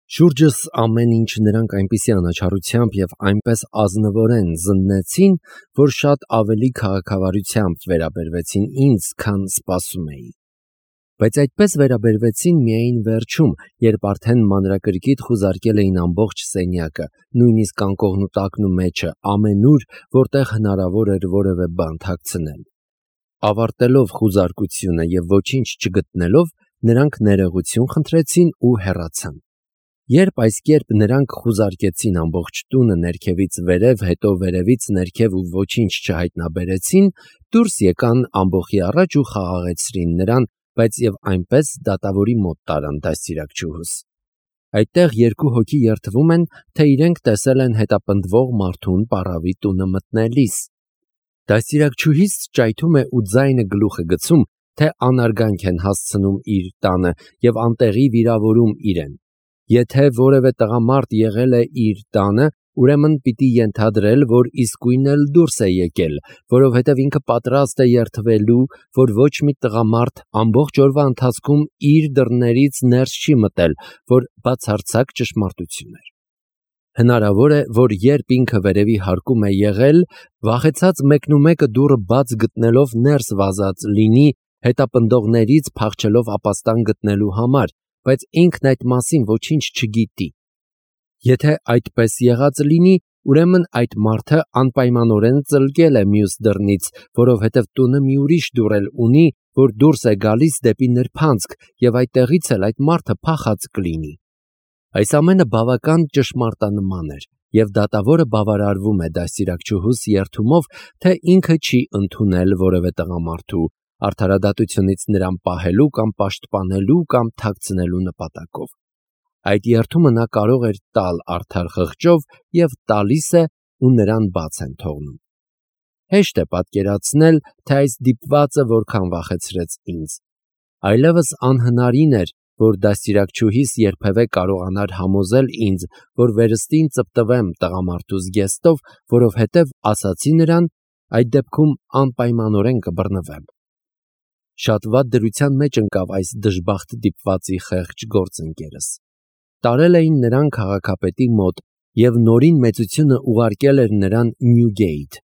Շուրջս ամեն ինչ նրանք այնպիսի անաչառությամբ և այնպես ազնվորեն զննեցին, որ շատ ավելի քաղաքավարությամբ վերաբերվեցին ինձ, քան սպասում էի։ Բայց այդպես վերաբերվեցին միայն վերջում, երբ արդեն մանրակրկիտ խուզարկել էին ամբողջ սենյակը, նույնիսկ անկողն ու տակն ու մեջը, ամենուր, որտեղ հնարավոր էր որևէ բան թաքցնել։ Ավարտելով խուզարկությունը և ոչինչ չգտնելով, նրանք ներողություն խնդրեցին ու հեռացան։ Երբ այս կերպ նրանք խուզարկեցին ամբողջ տունը ներքևից վերև, հետո վերևից ներքև ու ոչինչ չհայտնաբերեցին, դուրս եկան ամբոխի առաջ ու խաղաղեցրին նրան, բայց և այնպես դատավորի մոտ տարան դաստիարակչուհուս։ Այդտեղ երկու հոգի երդվում են, թե իրենք տեսել են հետապնդվող մարդուն պառավի տունը մտնելիս։ Դաստիարակչուհիս ճայթում է ու ձայնը գլուխ է գցում, թե անարգանք են հասցնում իր տանը և անտեղի վիրավորում իրեն։ Եթե որևէ տղամարդ եղել է իր տանը, ուրեմն պիտի ենթադրել, որ իսկույն էլ դուրս է եկել, որովհետև ինքը պատրաստ է երդվելու, որ ոչ մի տղամարդ ամբողջ օրվա ընթացքում իր դռներից ներս չի մտել, որ բացարձակ ճշմարտություն էր։ Հնարավոր է, որ երբ ինքը վերևի հարկում է եղել, վախեցած մեկնումեկը դուռը բաց գտնելով ներս վազած լինի, հետապնդողներից փախչելով ապաստան գտնելու համար, բայց ինքն այդ մասին ոչինչ չգիտի։ Եթե այդպես եղած լինի, ուրեմն այդ մարդը անպայմանորեն ծլկել է մյուս դռնից, որովհետև տունը մի ուրիշ դուռ էլ ունի, որ դուրս է գալիս դեպի նրբանցք, և այդտեղից էլ այդ մարդը փախած կլինի։ Այս ամենը բավական ճշմարտանման էր, և դատավորը բավարարվում է դաստիարակչուհուս երդումով, թե ինքը չի ընդունել որևէ տղամարդու արդարադատությունից նրան պահելու կամ պաշտպանելու կամ թաքցնելու նպատակով։ Այդ երդումը նա կարող էր տալ արդար խղճով և տալիս է ու նրան բաց են թողնում։ Հեշտ է պատկերացնել, թե այս դիպվածը որքան վախեցրեց ինձ։ Այլևս անհնարին էր, որ դաստիարակչուհիս երբևէ կարողանար համոզել ինձ, որ վերստին ծպտվեմ տղամարդու զգեստով, որովհետև ասացի նրան, այդ դեպքում անպայմանորեն կբռնվեմ։ Շատ վատ դրության մեջ ընկավ այս դժբախտ դիպվածի խեղճ գործընկերս։ Տարել էին նրան քաղաքապետի մոտ, և նորին մեծությունը ուղարկել էր նրան Նյուգեյթ,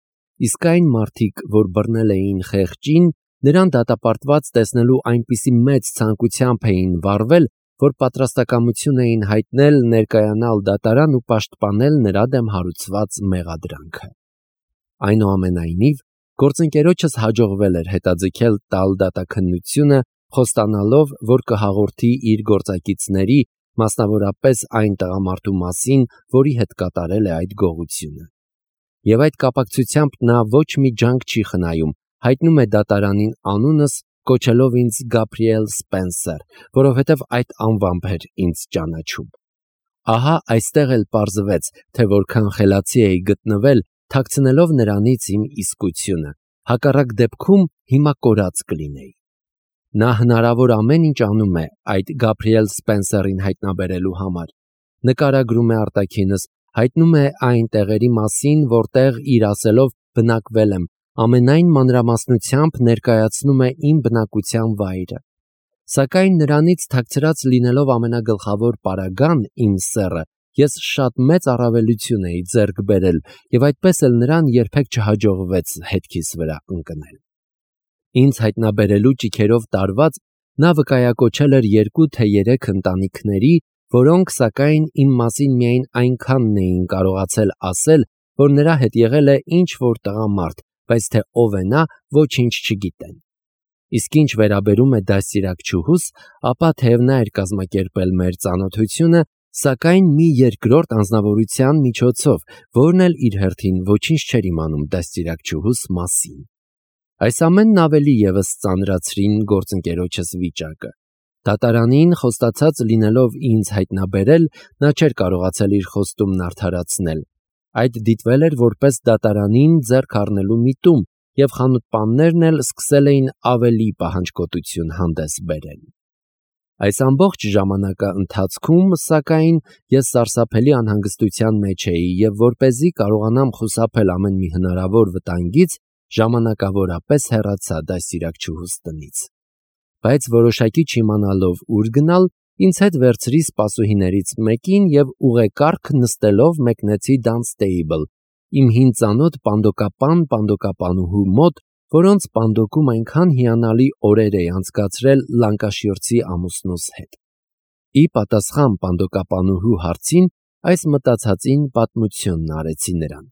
իսկ այն մարդիկ, որ բռնել էին խեղճին, նրան դատապարտված տեսնելու այնպիսի մեծ ցանկությամբ էին վառվել, որ պատրաստակամություն էին հայտնել ներկայանալ դատարան ու պաշտպանել նրա դեմ հարուցված մեղադրանքը։ Այնուամենայնիվ, գործընկերոջս հաջողվել էր հետաձգել տալ դատաքննությունը, խոստանալով, որ կհաղորդի իր գործակիցների, մասնավորապես այն տղամարդու մասին, որի հետ կատարել է այդ գողությունը։ Եվ այդ կապակցությամբ նա ոչ մի ջանք չի խնայում, հայտնում է դատարանին անունս, կոչելով ինձ Գաբրիել Սպենսեր, որովհետև այդ անվամբ էր ինձ ճանաչում։ Ահա այստեղ էլ պարզվեց, թե որքան խելացի էի գտնվել, թաքցնելով նրանից իմ իսկությունը, հակառակ դեպքում հիմա կորած կլինեի։ Նա հնարավոր ամեն ինչ անում է այդ Գաբրիել Սպենսերին հայտնաբերելու համար։ Նկարագրում է արտաքինս, հայտնում է այն տեղերի մասին, որտեղ իր ասելով բնակվել եմ, ամենայն մանրամասնությամբ ներկայացնում է իմ բնակության վայրը։ Սակայն նրանից թաքցրած լինելով ամենագլխավոր պարագան, իմ սեռը, ես շատ մեծ առավելություն էի ձեռք բերել, և այդպես էլ նրան երբեք չհաջողվեց հետքիս վրա ընկնել։ Ինձ հայտնաբերելու ճիգերով տարված, նա վկայակոչել էր 2 թե 3 ընտանիքների, որոնք սակայն իմ մասին միայն այնքանն էին կարողացել ասել, որ նրա հետ եղել է ինչ-որ տղամարդ, բայց թե ով է նա, ոչինչ չգիտեն։ Իսկ ինչ վերաբերում է դաստիարակչուհուս, ապա թեև նա էր կազմակերպել մեր ծանոթությունը, սակայն մի երկրորդ անձնավորության միջոցով, որն էլ իր հերթին ոչինչ չէր իմանում դաստիարակչուհուս մասին։ Այս ամենն ավելի ևս ծանրացրին գործընկերոջս վիճակը։ Դատարանին խոստացած լինելով ինձ հայտնաբերել, նա չէր կարողացել իր խոստումն արդարացնել։ Այդ դիտվել էր որպես դատարանին ձեռք առնելու միտում, և խանութպաններն էլ սկսել էին ավելի պահանջկոտություն հանդես բերել։ Այս ամբողջ ժամանակաընթացքում, սակայն, ես սարսափելի անհանգստության մեջ էի և որպեսզի կարողանամ խուսափել ամեն մի հնարավոր վտանգից, ժամանակավորապես հեռացա դաստիարակչուհուս տնից։ Բայց որոշակի չիմանալով ուր գնալ, Ինձ հետ վերցրի սպասուհիներից մեկին և ուղեկարգ նստելով մեկնեցի Dunstable, իմ հին ծանոթ պանդոկապանուհու մոտ, որոնց պանդոկում այնքան հիանալի օրեր էի անցկացրել Լանկաշիրցի ամուսնուս հետ։ Ի պատասխան պանդոկապանուհու հարցին, այս մտածածին պատմությունն արեցի նրան։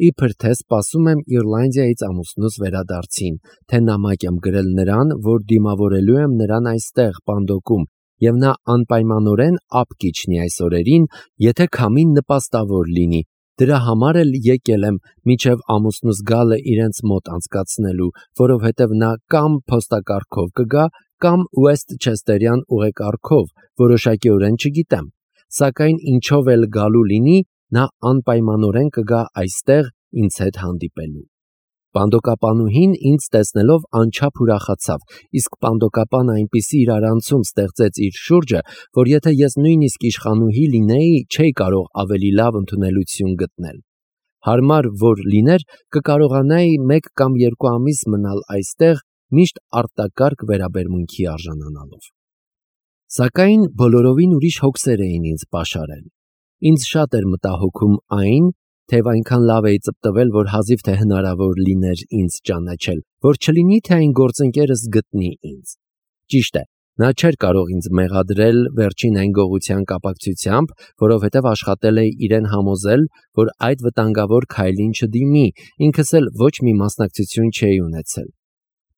Իբր թե սպասում եմ Իռլանդիայից ամուսնուս վերադարձին, թե նամակ եմ գրել նրան, որ դիմավորելու եմ նրան այստեղ պանդոկում, և նա անպայմանորեն ափ կիջնի այս օրերին, եթե քամին նպաստավոր լինի, դրա համար էլ եկել եմ մինչև ամուսնուս գալը իրենց մոտ անցկացնելու, որովհետև նա կամ փոստակարգով կգա, կամ Ուեսթչեսթերյան ուղեկարգով, որոշակիորեն չգիտեմ, սակայն ինչով էլ գալու լինի, նա անպայմանորեն կգա այստեղ ինձ հետ հանդիպելու։ Պանդոկապանուհին ինձ տեսնելով անչափ ուրախացավ, իսկ պանդոկապանը այնպիսի իրարանցում ստեղծեց իր շուրջը, որ եթե ես նույնիսկ իշխանուհի լինեի, չէի կարող ավելի լավ ընդունելություն գտնել։ Հարմար որ լիներ, կկարողանայի 1 կամ 2 ամիս մնալ այստեղ, միշտ արտակարգ վերաբերմունքի արժանանալով։ Սակայն բոլորովին ուրիշ հոգսեր էին ինձ պաշարել։ Ինձ շատ էր մտահոգում այն, թեև այնքան լավ էի ծպտվել, որ հազիվ թե հնարավոր լիներ ինձ ճանաչել, որ չլինի, թե այն գործընկերս գտնի ինձ։ Ճիշտ է, նա չէր կարող ինձ մեղադրել վերջին այն գողության կապակցությամբ, որովհետև աշխատել էի իրեն համոզել, որ այդ վտանգավոր քայլին չդիմի, ինքս էլ ոչ մի մասնակցություն չէի ունեցել։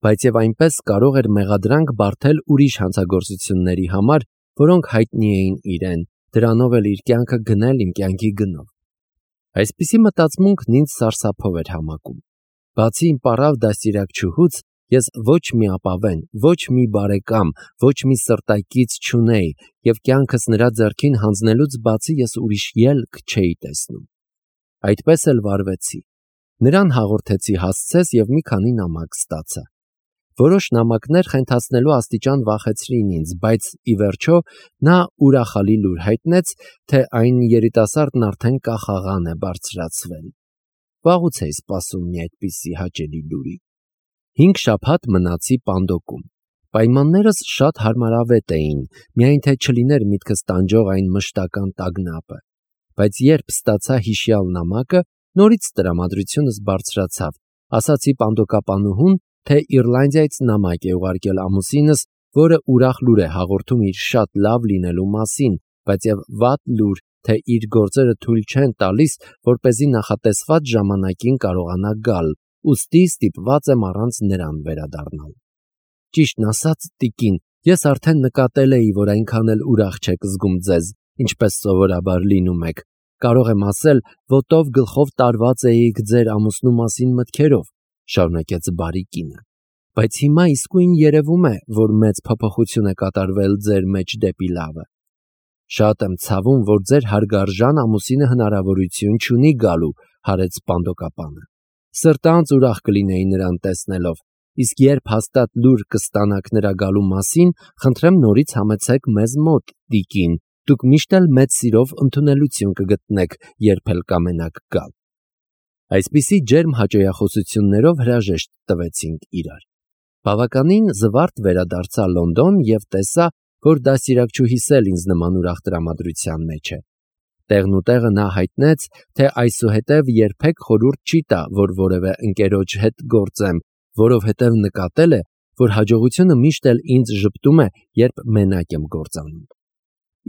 Բայց և այնպես կարող էր մեղադրանք բարթել ուրիշ հանցագործությունների համար, որոնք հայտնի էին իրեն, դրանով էլ իր կյանքը գնել իմ կյանքի գնով։ Այսպիսի մտածմունքն ինձ սարսափով էր համակում։ Բացի իմ պառավ դաստիարակչուհուց, ես ոչ մի ապավեն, ոչ մի բարեկամ, ոչ մի սրտակից չունեի, և կյանքս նրա ձեռքին հանձնելուց բացի ես ուրիշ ելք չէի տեսնում։ Այդպես էլ վարվեցի։ Նրան հաղորդեցի հասցես և մի քանի նամակ ստացա։ Որոշ նամակներ խենթացնելու աստիճան վախեցրին ինձ, բայց ի վերջո նա ուրախալի լուր հայտնեց, թե այն երիտասարդն արդեն կախաղան է բարձրացվել։ Վաղուց էի սպասում մի այդպիսի հաճելի լուրի։ 5 շաբաթ մնացի պանդոկում։ Պայմաններս շատ հարմարավետ էին, միայն թե չլիներ միտքս տանջող այն մշտական տագնապը։ Բայց երբ ստացա հիշյալ նամակը, նորից տրամադրությունս բարձրացավ, ասացի պանդոկապանուհուն, թե Իռլանդիայից նամակ է ուղարկել ամուսինս, որը ուրախ լուր է հաղորդում իր շատ լավ լինելու մասին, բայց և վատ լուր, թե իր գործերը թույլ չեն տալիս, որպեսզի նախատեսված ժամանակին կարողանա գալ, ուստի ստիպված եմ առանց նրան վերադառնալ։ Ճիշտն ասած, տիկին, ես արդեն նկատել էի, որ այնքան էլ ուրախ չեք զգում ձեզ, ինչպես սովորաբար լինում եք։ Կարող եմ ասել, ոտով գլխով տարված էիք ձեր ամուսնու մասին մտքերով, շարունակեց բարի կինը։ Բայց հիմա իսկույն երևում է, որ մեծ փոփոխություն է կատարվել ձեր մեջ դեպի լավը։ Շատ եմ ցավում, որ ձեր հարգարժան ամուսինը հնարավորություն չունի գալու, հարեց պանդոկապանը։ Սրտանց ուրախ կլինեի նրան տեսնելով, իսկ երբ հաստատ լուր կստանաք նրա գալու մասին, խնդրեմ նորից համեցեք մեզ մոտ, տիկին, դուք միշտ էլ մեծ սիրով ընդունելություն կգտնեք, երբ էլ կամենաք գալ։ Այսպիսի ջերմ հաճոյախոսություններով հրաժեշտ տվեցինք իրար։ Բավականին զվարթ վերադարձա Լոնդոն և տեսա, որ դաստիարակչուհիս էլ ինձ նման ուրախ տրամադրության մեջ է։ Տեղնուտեղը նա հայտնեց, թե այսուհետև երբեք խորհուրդ չի տա, որ որևէ ընկերոջ հետ գործեմ, որովհետև նկատել է, որ հաջողությունը միշտ էլ ինձ ժպտում է, երբ մենակ եմ գործանում։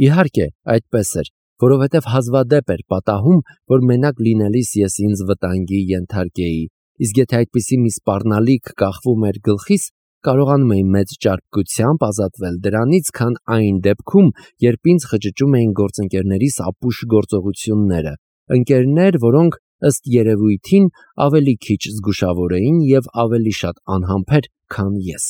Իհարկե, այդպես էր, որովհետև հազվադեպ էր պատահում, որ մենակ լինելիս ես ինձ վտանգի ենթարկեի, իսկ եթե այդպիսի մի սպառնալիք կախվում էր գլխիս, կարողանում էի մեծ ճարպկությամբ ազատվել դրանից, քան այն դեպքում, երբ ինձ խճճում էին գործընկերներիս ապուշ գործողությունները, ընկերներ, որոնք ըստ երևույթին ավելի քիչ զգուշավոր էին և ավելի շատ անհամբեր, քան ես։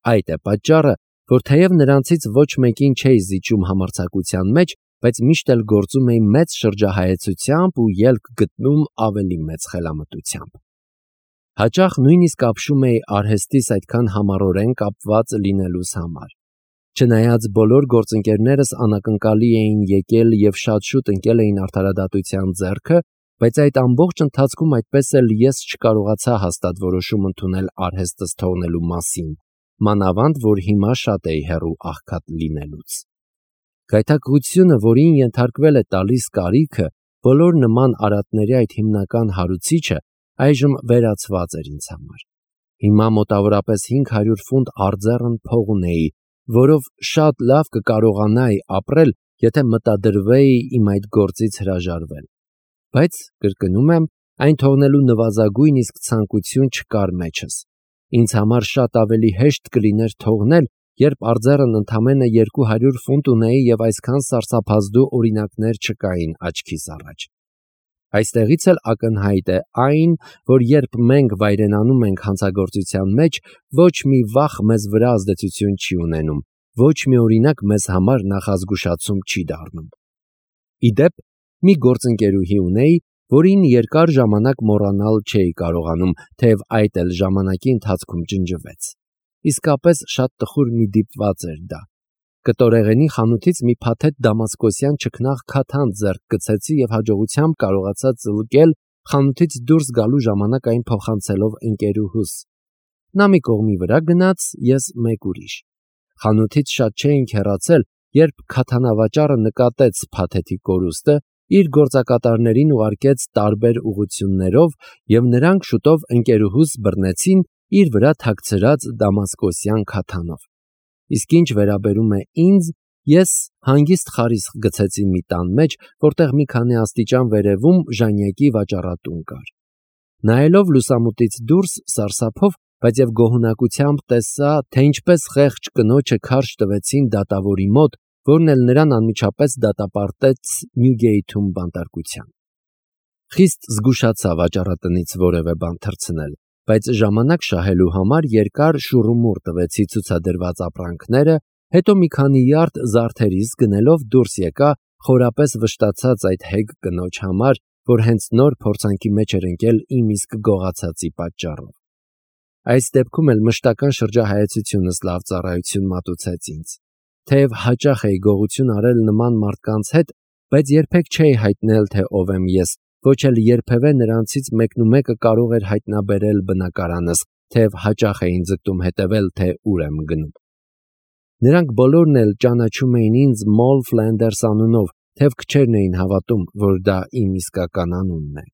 Այդ է պատճառը, որ թեև նրանցից ոչ մեկին չէի զիջում համարձակության մեջ, բայց միշտ էլ գործում էի մեծ շրջահայեցությամբ ու ելք գտնում ավելի մեծ խելամտությամբ։ Հաճախ նույնիսկ ապշում էի արհեստիս այդքան համառորեն կապված լինելուս համար։ Չնայած բոլոր գործընկերներս անակնկալի էին եկել և շատ շուտ ընկել էին արդարադատության ձեռքը, բայց այդ ամբողջ ընթացքում այդպես էլ ես չկարողացա հաստատ որոշում ընդունել արհեստս թողնելու մասին, մանավանդ որ հիմա շատ էի հեռու աղքատ լինելուց։ Գայթակղությունը, որին ենթարկվել է տալիս կարիքը, բոլոր նման արատների այդ հիմնական հարուցիչը, այժմ վերացված էր ինձ համար։ Հիմա մոտավորապես 500 ֆունտ արձեռն փող ունեի, որով շատ լավ կկարողանայի ապրել, եթե մտադրվեի իմ այդ գործից հրաժարվել։ Բայց, կրկնում եմ, այն թողնելու նվազագույն իսկ ցանկություն չկար մեջս։ Ինձ համար շատ ավելի հեշտ կլիներ թողնել, երբ արձեռն ընդամենը 200 ֆունտ ունեի և այսքան սարսափազդու օրինակներ չկային աչքիս առաջ։ Այստեղից էլ ակնհայտ է այն, որ երբ մենք վայրենանում ենք հանցագործության մեջ, ոչ մի վախ մեզ վրա ազդեցություն չի ունենում, ոչ մի օրինակ մեզ համար նախազգուշացում չի դառնում։ Ի դեպ, մի գործընկերուհի ունեի, որին երկար ժամանակ մոռանալ չէի կարողանում, թեև այդ էլ ժամանակի ընթացքում ջնջվեց։ Իսկապես շատ տխուր մի դիպված էր դա։ Կտորեղենի խանութից մի փաթեթ դամասկոսյան չքնաղ քաթանձ ձեռք գցեցի և հաջողությամբ կարողացա ծլկել, խանութից դուրս գալու ժամանակ այն փոխանցելով ընկերուհուս։ Նա մի կողմի վրա գնաց, ես մեկ ուրիշ։ Խանութից շատ չէինք հեռացել, երբ քաթանավաճառը նկատեց փաթեթի կորուստը, իր գործակատարներին ուղարկեց տարբեր ուղղություններով, և նրանք շուտով ընկերուհուս բռնեցին իր վրա թաքցրած դամասկոսյան քաթանով։ Իսկ ինչ վերաբերում է ինձ, ես հանգիստ խարիսխ գցեցի մի տան մեջ, որտեղ մի քանի աստիճան վերևում ժանյակի վաճառատուն կար։ Նայելով լուսամուտից դուրս, սարսափով, բայց և գոհունակությամբ տեսա, թե ինչպես խեղճ կնոջը քարշ տվեցին դատավորի մոտ, որն էլ նրան անմիջապես դատապարտեց Նյուգեյթում բանտարկության։ Խիստ զգուշացա վաճառատնից որևէ բան թռցնել, բայց ժամանակ շահելու համար երկար շուռումուռ տվեցի ցուցադրված ապրանքները, հետո մի քանի յարդ զարդերիս գնելով դուրս եկա, խորապես վշտացած այդ հեգ կնոջ համար, որ հենց նոր փորձանքի մեջ էր ընկել իմ իսկ գողացածի պատճառով։ Այս դեպքում էլ մշտական շրջահայացությունս լավ ծառայություն մատուցեց ինձ։ Թեև հաճախ էի գողություն արել նման մարդկանց հետ, բայց երբեք չէի հայտնել, թե ով եմ ես, ոչ էլ երբևէ նրանցից մեկնումեկը կարող էր հայտնաբերել բնակարանս, թեև հաճախ էին ձգտում հետևել, թե ուր եմ գնում։ Նրանք բոլորն էլ ճանաչում էին ինձ Մոլ Ֆլենդերս անունով, թեև քչերն էին հավատում, որ դա իմ իսկական անունն է։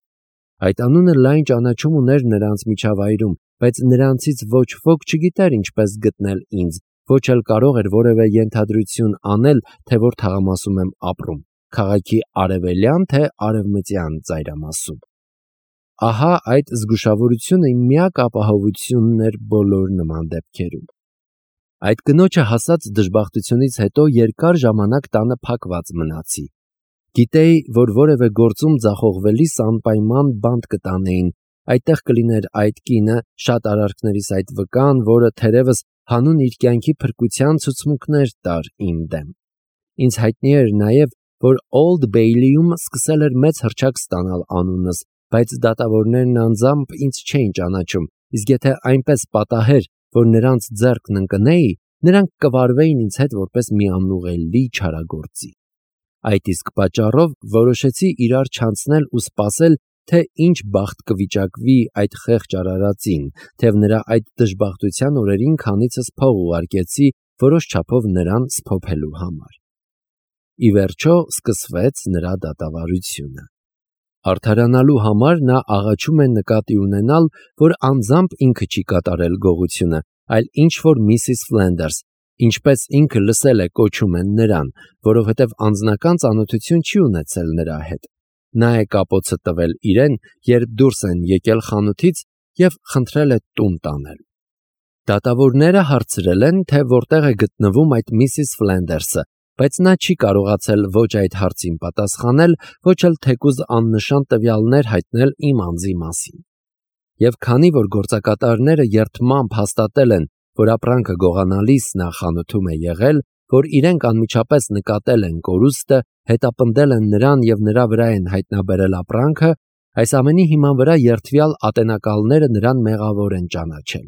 Այդ անունը լայն ճանաչում ուներ նրանց միջավայրում, բայց նրանցից ոչ ոք չգիտեր ինչպես գտնել ինձ, ոչ էլ կարող էր որևէ ենթադրություն անել, թե որ թաղամասում եմ ապրում, քաղաքի արևելյան թե արևմտյան ծայրամասում։ Ահա այդ զգուշավորությունը իմ միակ ապահովությունն էր բոլոր նման դեպքերում։ Այդ կնոջը հասած դժբախտությունից հետո երկար ժամանակ տանը փակված մնացի։ Գիտեի, որ որևէ գործում ձախողվելիս անպայման բանտ կտանեին, այդտեղ կլիներ այդ կինը, շատ արարքներիս այդ վկան, որը թերևս հանուն իր կյանքի փրկության ցուցմունքներ տար իմ դեմ։ Ինձ հայտնի էր նաև, որ Օլդ Բեյլիում սկսել էր մեծ հռչակ ստանալ անունս, բայց դատավորներն անձամբ ինձ չէին ճանաչում, իսկ եթե այնպես պատահեր, որ նրանց ձեռքն ընկնեի, նրանք կվարվեին ինձ հետ որպես մի անուղելի չարագործի։ Այդ իսկ պատճառով որոշեցի իրար չանցնել ու սպասել, թե ինչ բախտ կվիճակվի այդ խեղճ արարածին, թեև նրա այդ դժբախտության օրերին քանիցս փող ուղարկեցի որոշ չափով նրան սփոփելու համար։ Ի վերջո սկսվեց նրա դատավարությունը։ Արդարանալու համար նա աղաչում է նկատի ունենալ, որ անձամբ ինքը չի կատարել գողությունը, այլ ինչ-որ Միսիս Ֆլենդերս, ինչպես ինքը լսել է կոչում են նրան, որովհետև անձնական ծանոթություն չի ունեցել նրա հետ։ Նա է կապոցը տվել իրեն, երբ դուրս են եկել խանութից և խնդրել է տուն տանել։ Դատավորները հարցրել են, թե որտեղ է գտնվում այդ Միսիս Ֆլենդերսը, բայց նա չի կարողացել ոչ այդ հարցին պատասխանել, ոչ էլ թեկուզ աննշան տվյալներ հայտնել իմ անձի մասին։ Եվ քանի որ գործակատարները երդմամբ հաստատել են, որ ապրանքը գողանալիս նա խանութում է եղել, որ իրենք անմիջապես նկատել են կորուստը, հետապնդել են նրան և նրա վրա են հայտնաբերել ապրանքը, այս ամենի հիման վրա երդվյալ ատենակալները նրան մեղավոր են ճանաչել։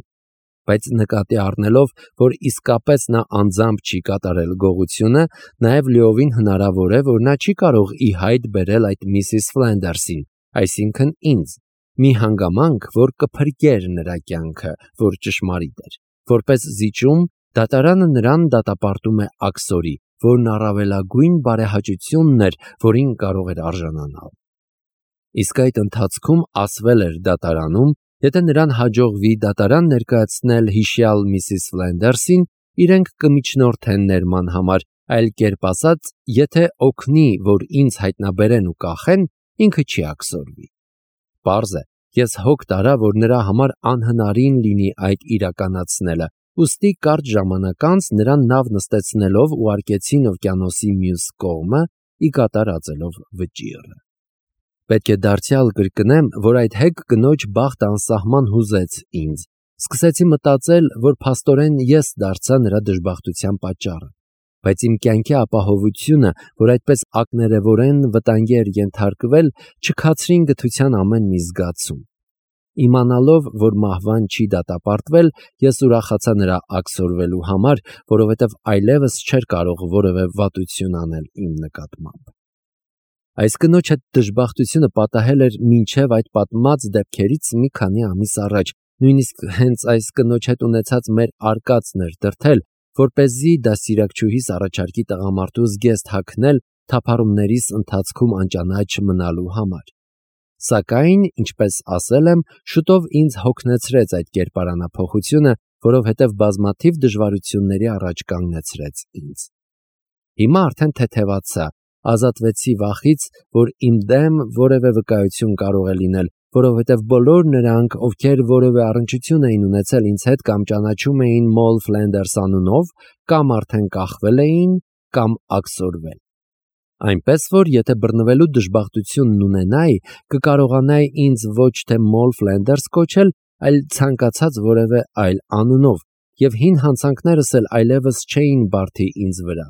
Բայց նկատի առնելով, որ իսկապես նա անձամբ չի կատարել գողությունը, նաև լիովին հնարավոր է, որ նա չի կարող ի հայտ բերել այդ Միսիս Ֆլենդերսին, այսինքն ինձ, մի հանգամանք, որ կփրկեր նրա կյանքը, որ ճշմարիտ էր։ Որպես զիջում, դատարանը նրան դատապարտում է աքսորի, որն առավելագույն բարեհաճությունն էր, որին կարող էր արժանանալ։ Իսկ այդ ընթացքում ասվել էր դատարանում, եթե նրան հաջողվի դատարան ներկայացնել հիշյալ Միսիս Ֆլենդերսին, իրենք կմիջնորդեն ներման համար, այլ կերպ ասած, եթե օգնի, որ ինձ հայտնաբերեն ու կախեն, ինքը չի աքսորվի։ Պարզ է, ես հոգ տարա, որ նրա համար անհնարին լինի այդ իրականացնելը, ուստի կարճ ժամանակ անց նրան նավ նստեցնելով ուղարկեցին օվկիանոսի մյուս կողմը, ի կատար ածելով վճիռը։ Պետք է դարձյալ կրկնեմ, որ այդ հեգ կնոջ բախտը անսահման հուզեց ինձ։ Սկսեցի մտածել, որ փաստորեն ես դարձա նրա դժբախտության պատճառը, բայց իմ կյանքի ապահովությունը, որ այդպես ակներևորեն վտանգի էր ենթարկվել, չքացրին գթության ամեն մի զգացում։ Իմանալով, որ մահվան չի դատապարտվել, ես ուրախացա նրա աքսորվելու համար, որովհետև այլևս չէր կարող որևէ վատություն անել իմ նկատմամբ։ Այս կնոջ հետ դժբախտությունը պատահել էր մինչև այդ պատմած դեպքերից մի քանի ամիս առաջ, նույնիսկ հենց այս կնոջ հետ ունեցած մեր արկածն էր դրդել, որպեսզի դաստիարակչուհիս առաջարկի տղամարդու զգեստ հագնել թափառումներիս ընթացքում անճանաչ մնալու համար։ Սակայն, ինչպես ասել եմ, շուտով ինձ հոգնեցրեց այդ կերպարանափոխությունը, որովհետև բազմաթիվ դժվարությունների առաջ կանգնեցրեց ինձ։ Հիմա արդեն թեթևացա, ազատվեցի վախից, որ իմ դեմ որևէ վկայություն կարող է լինել, որովհետև բոլոր նրանք, ովքեր որևէ առնչություն էին ունեցել ինձ հետ կամ ճանաչում էին Մոլ Ֆլենդերս անունով, կամ արդեն կախվել էին, կամ աքսորվել։ Այնպես որ, եթե բռնվելու դժբախտությունն ունենայի, կկարողանայի ինձ ոչ թե Մոլ Ֆլենդերս կոչել, այլ ցանկացած որևէ այլ անունով, եւ հին հանցանքներս էլ այլևս չէին բարդի ինձ վրա։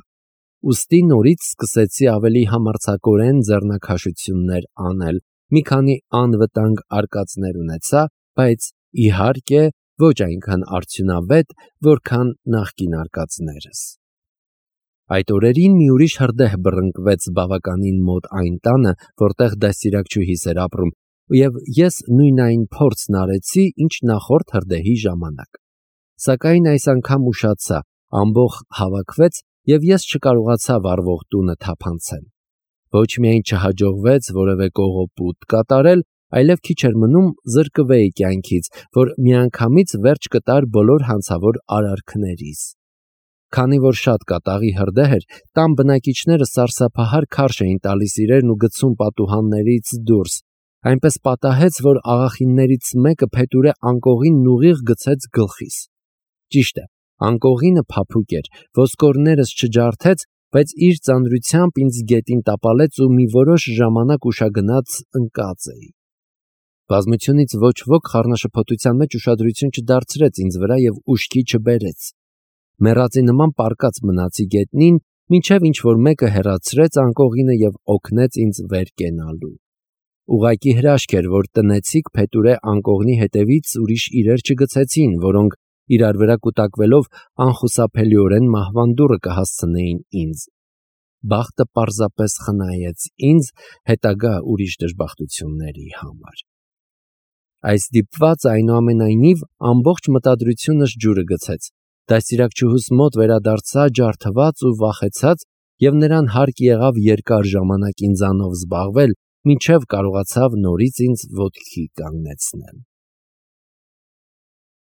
Ուստի նորից սկսեցի ավելի համարձակորեն ձեռնաքաշություններ անել, մի քանի անվտանգ արկածներ ունեցա, բայց իհարկե ոչ այնքան արդյունավետ, որքան նախկին արկածներս։ Այդ օրերին մի ուրիշ հրդեհ բռնկվեց բավականին մոտ այն տանը, որտեղ դաստիարակչուհիս էր ապրում, եւ ես նույն այն փորձն արեցի, ինչ նախորդ հրդեհի ժամանակ։ Սակայն այս անգամ ուշացա, ամբողջ հավաքվեց, եւ ես չկարողացա վառվող տունը թափանցել։ Ոչ միայն չհաջողվեց որևէ կողոպուտ կատարել, այլև քիչ էր մնում զրկվեի կյանքից, որ միանգամից վերջ կտար բոլոր հանցավոր արարքներիս։ Քանի որ շատ կատաղի հրդեհ էր, տան բնակիչները սարսափահար քարշ էին տալիս իրերն ու գցում պատուհաններից դուրս, այնպես պատահեց, որ աղախիններից մեկը փետուրե անկողին ուղիղ գցեց գլխիս։ Ճիշտ է, անկողինը փափուկ էր, ոսկորներս չջարդեց, բայց իր ծանրությամբ ինձ գետին տապալեց ու մի որոշ ժամանակ ուշագնաց ընկած էի։ Բազմությունից ոչ ոք խառնաշփոթության մեջ ուշադրություն չդարձրեց ինձ վրա եւ ուշքի չբերեց։ Մեռածի նման պառկած մնացի գետնին, մինչև ինչ-որ մեկը հեռացրեց անկողինը եւ օգնեց ինձ վեր կենալու։ Ուղղակի հրաշք էր, որ տնեցիկ փետուրե անկողնի հետևից ուրիշ իրեր չգցեցին, որոնք իրար վրա կուտակվելով անխուսափելիորեն մահվան դուռը կհասցնեին ինձ։ Բախտը պարզապես խնայեց ինձ հետագա ուրիշ դժբախտությունների համար։ Այս դիպվածը այնուամենայնիվ ամբողջ մտադրությունս ջուրը գցեց։ Դաստիարակչուհուս մոտ վերադարձա ջարդված ու վախեցած եւ նրան հարկ եղավ երկար ժամանակ ինձանով զբաղվել, մինչև կարողացավ նորից ինձ ոտքի կանգնեցնել։